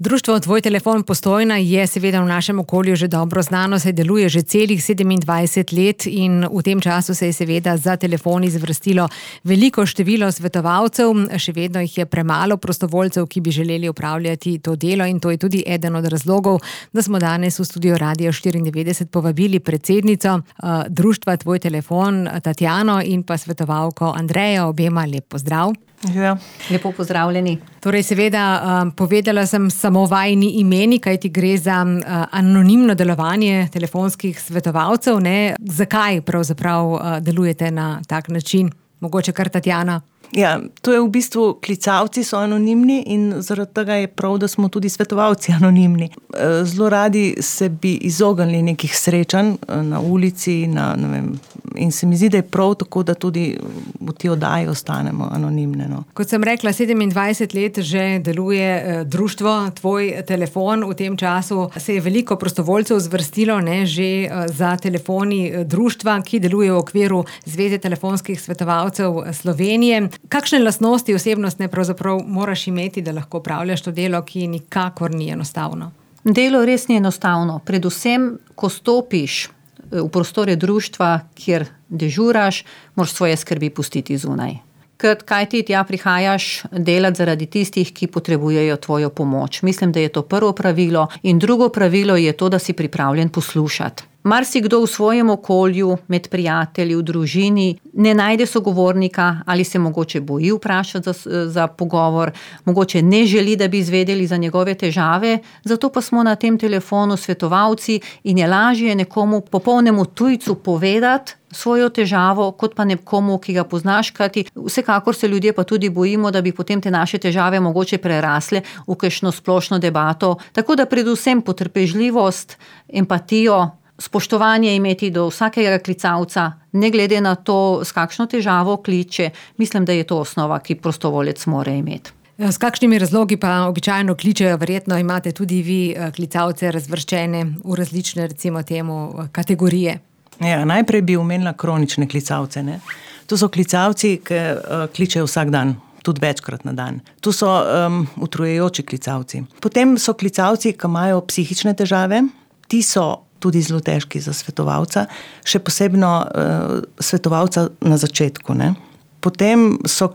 Društvo Tvoj telefon Postojna je seveda v našem okolju že dobro znano, saj deluje že celih 27 let in v tem času se je seveda za telefon izvrstilo veliko število svetovalcev, še vedno jih je premalo prostovoljcev, ki bi želeli opravljati to delo, in to je tudi eden od razlogov, da smo danes v studio Radio 94 povabili predsednico Društva Tvoj telefon Tatjano in pa svetovalko Andrejo. Obema lep pozdrav. Ja, lepo pozdravljeni. Torej, seveda, povedala sem samo vajini imeni, kajti gre za anonimno delovanje telefonskih svetovalcev, ne? Zakaj pravzaprav delujete na tak način? Mogoče kar Tatjana? Ja, to je v bistvu, klicavci so anonimni in zaradi tega je prav, da smo tudi svetovalci anonimni. Zelo radi se bi izognili nekih srečanj na ulici, ne vem, in se mi zdi, da je prav tako, da tudi v tej oddaji ostanemo anonimne. No. Kot sem rekla, 27 let že deluje društvo Tvoj telefon. V tem času se je veliko prostovoljcev zvrstilo, ne, že za telefoni društva, ki deluje v okviru Zveze telefonskih svetovalcev Slovenije. Kakšne lastnosti osebnostne pravzaprav moraš imeti, da lahko opravljaš to delo, ki nikakor ni enostavno? Delo res ni enostavno. Predvsem, ko stopiš v prostore društva, kjer dežuraš, moraš svoje skrbi pustiti zunaj. Kaj ti tja prihajaš delati zaradi tistih, ki potrebujejo tvojo pomoč. Mislim, da je to prvo pravilo. In drugo pravilo je to, da si pripravljen poslušati. Marsikdo v svojem okolju, med prijatelji, v družini, ne najde sogovornika ali se mogoče boji vprašati za pogovor, mogoče ne želi, da bi izvedeli za njegove težave, zato pa smo na tem telefonu svetovalci in je lažje nekomu popolnemu tujcu povedati svojo težavo, kot pa nekomu, ki ga poznaš, kajti vsekakor se ljudje pa tudi bojimo, da bi potem te naše težave mogoče prerasle v kakšno splošno debato. Tako da predvsem potrpežljivost, empatijo, spoštovanje imeti do vsakega klicavca, ne glede na to, s kakšno težavo kliče. Mislim, da je to osnova, ki prostovoljec mora imeti. S kakšnimi razlogi pa običajno kličejo? Verjetno imate tudi vi klicavce razvrščene v različne, recimo temu, kategorije. Ja, najprej bi omenila kronične klicavce. Ne? To so klicavci, ki kličejo vsak dan, tudi večkrat na dan. To so utrujajoči klicavci. Potem so klicavci, ki imajo psihične težave. Ti so tudi zelo težki za svetovalca, še posebno svetovalca na začetku. Ne? Potem so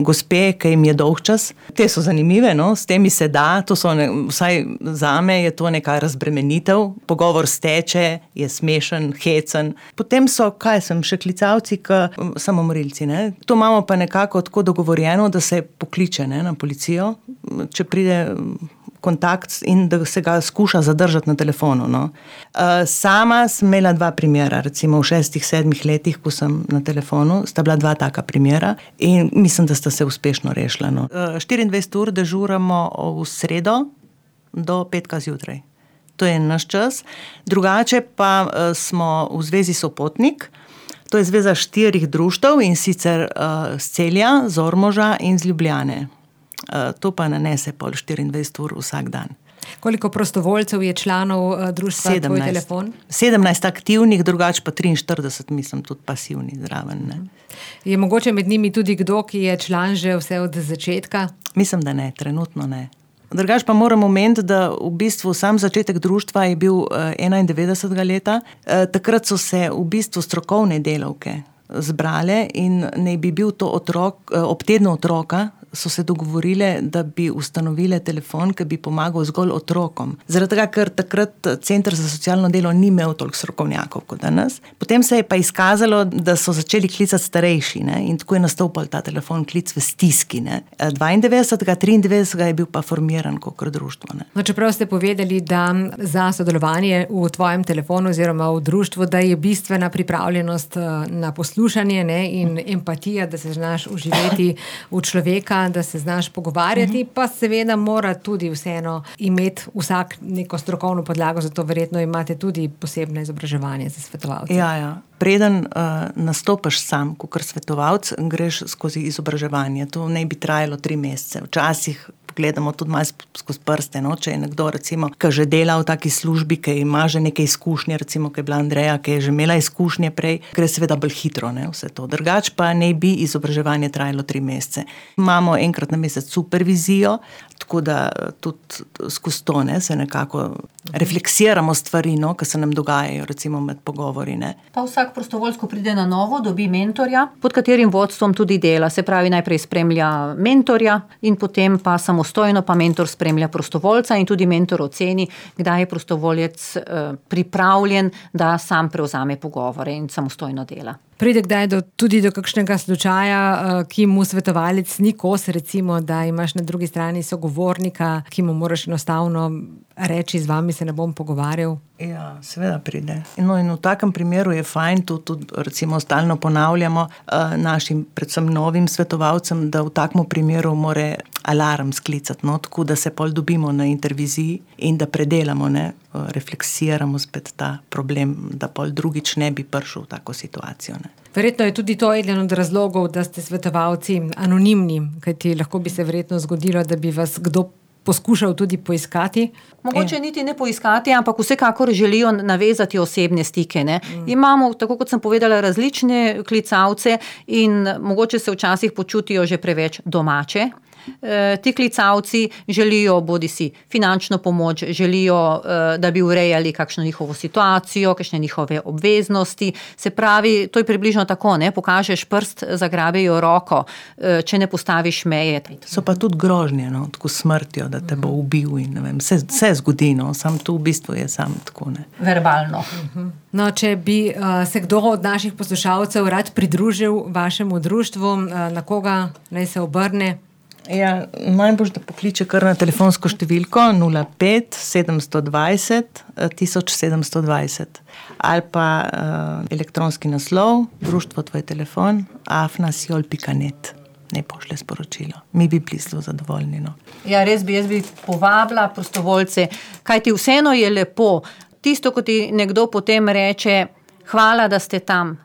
gospe, ki jim je dolgčas. Te so zanimive, no? S temi se da, to so vsaj zame je to neka razbremenitev. Pogovor steče, je smešen, hecen. Potem so, še klicavci, samomorilci. Ne? To imamo pa nekako tako dogovorjeno, da se pokliče, ne, na policijo, če pride kontakt in da se ga skuša zadržati na telefonu. No. Sama sem imela 2 primera, recimo v 6-7 letih, ko sem na telefonu, sta bila 2 taka primera in mislim, da sta se uspešno rešila. No. 24 ur dežuramo v sredo do petka zjutraj. To je naš čas. Drugače pa smo v Zvezi Sopotnik. To je zveza 4 društev in sicer z Celja, z Ormoža in z Ljubljane. To pa nanese pol 24 ur vsak dan. Koliko prostovoljcev je članov društva 17. Tvoj telefon? 17 aktivnih, drugače pa 43, mislim, tudi pasivni zraven. Ne? Je mogoče med njimi tudi kdo, ki je član že vse od začetka? Mislim, da ne, trenutno ne. Drugače pa moram omeniti, da v bistvu sam začetek društva je bil 91. leta. Takrat so se v bistvu strokovne delavke zbrale in naj bi bil to otrok, ob tednu otroka, so se dogovorile, da bi ustanovile telefon, ki bi pomagal zgolj otrokom. Zaradi tega, ker takrat Center za socialno delo ni imel toliko strokovnjakov kot danes. Potem se je pa izkazalo, da so začeli klicati starejši, ne? In tako je nastopil ta telefon klic v stiski. Ne? 92. 93. je bil pa formiran kot društvo. Ne? No, čeprav ste povedali, da za sodelovanje v tvojem telefonu oziroma v društvu, da je bistvena pripravljenost na poslušanje, ne? In empatija, da se znaš uživeti v človeka, da se znaš pogovarjati, pa seveda mora tudi vseeno imeti vsak neko strokovno podlago, zato verjetno imate tudi posebno izobraževanje za svetovalce. Ja. Preden nastopaš sam, kot svetovalec, greš skozi izobraževanje. To naj bi trajalo 3 mesece. Včasih pogledamo tudi malo skozi prste, no? Če je nekdo recimo, ki že dela v taki službi, ki ima že neke izkušnje, recimo, ki je bila Andreja, ki je že imela izkušnje prej, gre seveda bolj hitro, ne, vse to. Drugač pa ne bi izobraževanje trajalo 3 mesece. Imamo enkrat na mesec supervizijo, tako da tudi skozi to, ne, se nekako refleksiramo stvari, no, ki se nam dogajajo, recimo med pogovori, ne. Pa vsak prostovoljec, ko pride na novo, dobi mentorja, pod katerim vodstvom tudi dela. Se pravi, najprej spremlja mentorja in potem pa samostojno pa mentor spremlja prostovoljca in tudi mentor oceni, kdaj je prostovoljec pripravljen, da sam prevzame pogovore in samostojno dela. Pride kdaj tudi do kakšnega slučaja, ki mu svetovalec ni kos, recimo, da imaš na drugi strani sogovornika, ki mu moraš enostavno reči, z vami se ne bom pogovarjal? Ja, seveda pride. No, in v takem primeru je fajn, tudi recimo stalno ponavljamo našim, predvsem novim svetovalcem, da v takem primeru more alarm sklicati, no, tako da se pol dobimo na interviziji in da predelamo, ne, refleksiramo spet ta problem, da pol drugič ne bi prišel v tako situacijo, ne. Verjetno je tudi to eden od razlogov, da ste svetovalci anonimni, kajti lahko bi se verjetno zgodilo, da bi vas kdo poskušal tudi poiskati. Mogoče niti ne poiskati, ampak vsekakor želijo navezati osebne stike, ne. Imamo, tako kot sem povedala, različne klicalce in mogoče se včasih počutijo že preveč domače. Ti klicalci želijo bodisi finančno pomoč, želijo, da bi urejali kakšno njihovo situacijo, kakšne njihove obveznosti. Se pravi, to je približno tako, ne, pokažeš prst, zagrabejo roko, če ne postaviš meje. So pa tudi grožnje, no, tako smrtjo, da te bo ubil in ne vem, vse zgodi, no, sam to v bistvu je sam tako, ne. Verbalno. No, če bi se kdo od naših poslušalcev rad pridružil vašemu društvu, na koga naj se obrne? Ja, najbolj, da pokliče kar na telefonsko številko 05 720 1720 ali pa elektronski naslov društvo tvoj telefon @siol.net. Ne pošlje sporočilo. Mi bi bili zelo zadovoljni, no. Ja, res bi, jaz bi povabila prostovoljce, kajti vseeno je lepo. Tisto, ko ti nekdo potem reče, hvala, da ste tam,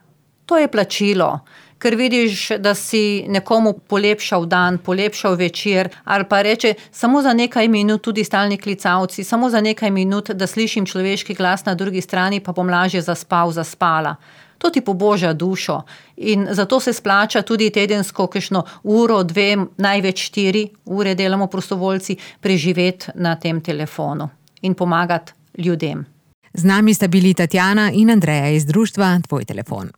to je plačilo. Ker vidiš, da si nekomu polepšal dan, polepšal večer, ali pa reče, samo za nekaj minut, tudi stalni klicalci, samo za nekaj minut, da slišim človeški glas na drugi strani, pa bom lažje zaspala. To ti poboža dušo in zato se splača tudi tedensko kakšno uro, 2, največ 4 ure delamo prostovoljci, preživeti na tem telefonu in pomagati ljudem. Z nami sta bili Tatjana in Andreja iz društva Tvoj telefon.